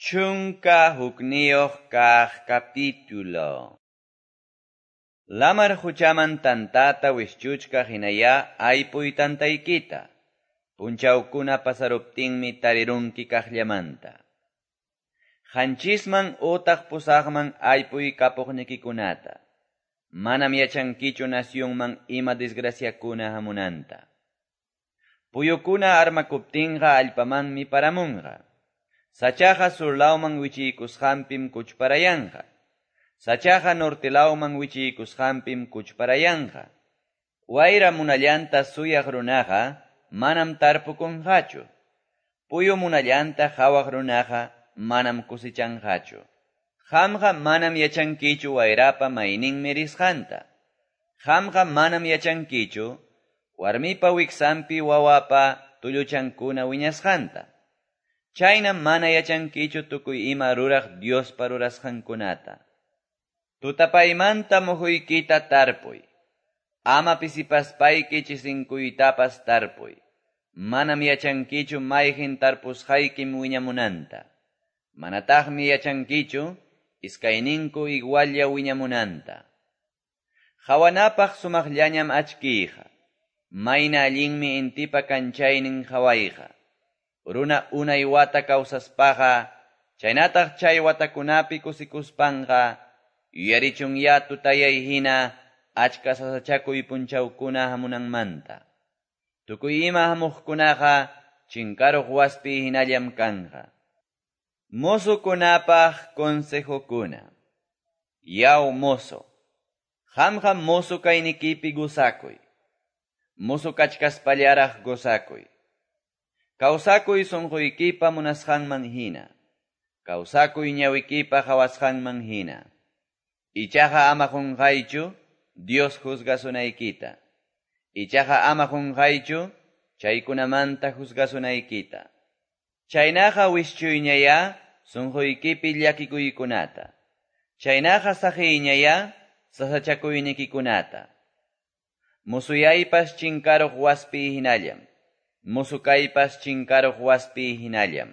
11 kaq capítulo. Lamar quchaman tantata wischuchkaq hinayá aypuy tantaykita. Punchawkuna pasaruptinmi tarirunki kaqllamanta. 7man utaq 8man aypuy kapuqnikikunata. Manam yachankichu nacionman ima desgraciakuna hamunanta. Puyukuna armakuptinqa allpamanmi paramunqa. Sachaqa surlawman wichiykusqanpim kuchparayanqa. Sachaqa nortelawman wichiykusqanpim kuchparayanqa. Wayra munallanta suyaq runaqa manam tarpukunqachu. Puyu munallanta qhawaq runaqa manam kusichanqachu. Qamqa manam yachankichu wayrapa mayninmi risqanta. Qamqa manam yachankichu warmipa wiksanpi wawapa tulluchankuna wiñasqanta. Chaynam mana yachankichu tukuy ima ruraq Diospa rurasqankunata. Tutapaymanta muhuykita tarpuy. Ama pisipaspayki chisinkuytapas tarpuy. Manam yachankichu mayqin tarpusqaykim wiñamunanta. Manataqmi yachankichu iskayninku igualla wiñamunanta. Hawanapaq sumaqllañam achkiyqa. Mayna allinmi intipa kanchaynin hawayqa. Runa unay wata kawsaspaqa, chaynataq chay watakunapi kusikuspanqa, yuyarichunyá tutayay hina achka sasachakuy punchawkuna hamunanmanta. Tukuy ima hamuqkunaqa chinkaruq waspi hinallam kanqa. Mozokunapaq consejokuna. Yaw mozo, qamqa mozo kaynikipi gozakuy. Mozo kachkaspallaraq gozakuy. Kawsakuy sunquykipa munasqanman hina. Kawsakuy ñawikipa qhawasqanman hina. Ichaqa ama qunqaychu Dios juzgasunaykita. Ichaqa ama qunqaychu chaykunamanta juzgasunaykita. Chaynaqa wischuyñayá sunquykipi llakikuykunata. Chaynaqa saqiyñayá sasachakuynikikunata. Musuyaypas chinkaruq waspi hinallam. Musukaypas chinkaruq waspi hinallam.